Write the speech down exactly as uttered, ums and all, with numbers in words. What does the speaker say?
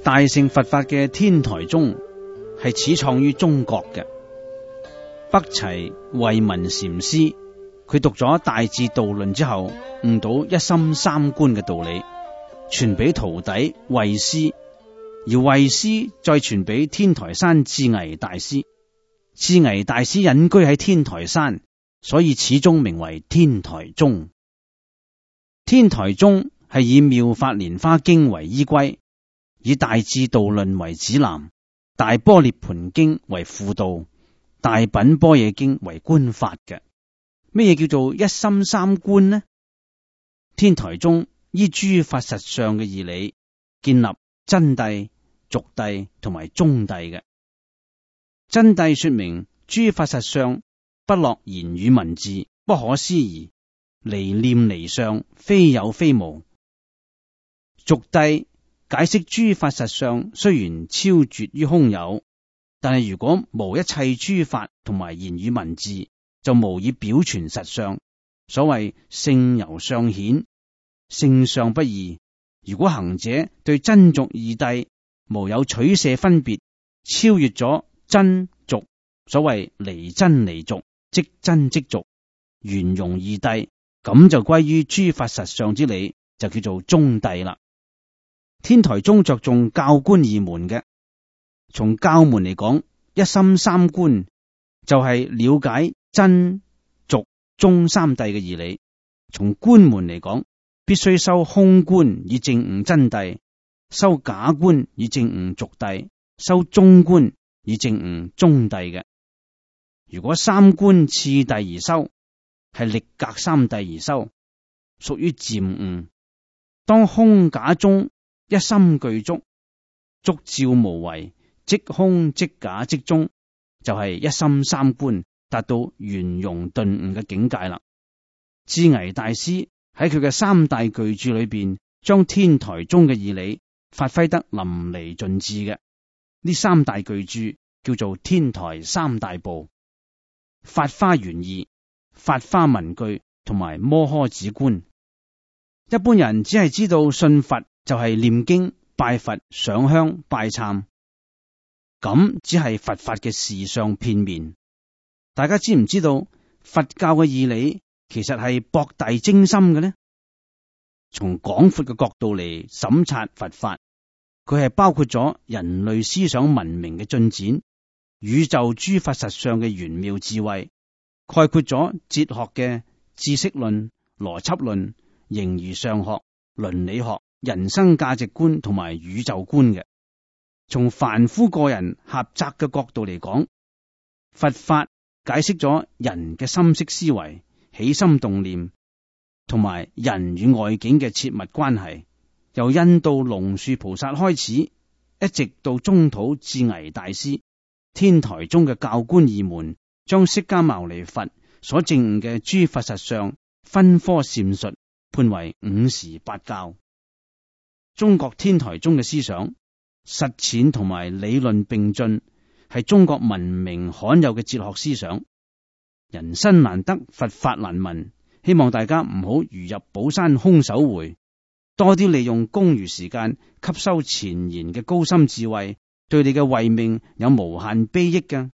大乘佛法嘅天台宗係始創於中國嘅。北齊慧文禪師，佢讀咗《大智度論》之後，悟到一心三觀嘅道理，傳俾徒弟慧師，而慧師再傳俾天台山智危大師。智危大師隱居喺天台山，所以始終名為天台宗。天台宗係以《妙法蓮華經》為依歸，以《大智度論》為指南，《大般涅槃經》為輔導，《大品般若經》為觀法嘅。咩嘢叫做一心三觀呢？天台宗依諸法實相嘅義理，建立真諦、俗諦同埋中諦嘅。真諦說明諸法實相不落言語文字，不可思議，離念離相，非有非無。俗諦解釋諸法實相雖然超絕於空有，但係如果無一切諸法同埋言語文字，就無以表傳實相。所謂性由相顯，性相不異。如果行者對真俗二諦無有取捨分別，超越咗真俗，所謂離真離俗，即真即俗，圓融二諦，咁就歸於諸法實相之理，就叫做中諦啦。天台宗着重教觀二門嘅。從教門嚟講，一心三觀就係了解真俗中三諦嘅義理。從觀門嚟講，必須修空觀以證悟真諦，修假觀以證悟俗諦，修中觀以證悟中諦嘅。如果三觀次第而修，係力格三諦而修，屬於漸悟。當空假中一心具足，足照無為，即空即假即中，就係、是、一心三觀，達到圓融頓悟嘅境界啦。智危大師喺佢嘅三大巨著裏邊，將天台宗嘅義理發揮得淋漓盡致嘅。呢三大巨著叫做天台三大部：法花玄義、法花文句同埋摩訶止觀。一般人只係知道信佛就係念經、拜佛、上香、拜懺，咁只係佛法嘅事相片面。大家知唔知道佛教嘅義理其實係博大精深嘅呢？從廣闊嘅角度嚟審察佛法，佢係包括咗人類思想文明嘅進展、宇宙諸法實相嘅玄妙智慧，概括咗哲學嘅知識論、邏輯論、形而上學、倫理學、人生價值觀同埋宇宙觀嘅。從凡夫個人狹窄嘅角度嚟講，佛法解釋咗人嘅心識思維、起心動念同埋人與外境嘅切密關係，由印度龍樹菩薩開始，一直到中土智危大師。天台宗嘅教觀二門，將釋迦牟尼佛所證悟嘅諸法實相分科闡述，判為五時八教。中國天台宗嘅思想實踐同埋理論並進，係中國文明罕有嘅哲學思想。人生難得，佛法難聞，希望大家唔好如入寶山空手回，多啲利用公餘時間吸收前賢嘅高深智慧，對你嘅慧命有無限裨益㗎。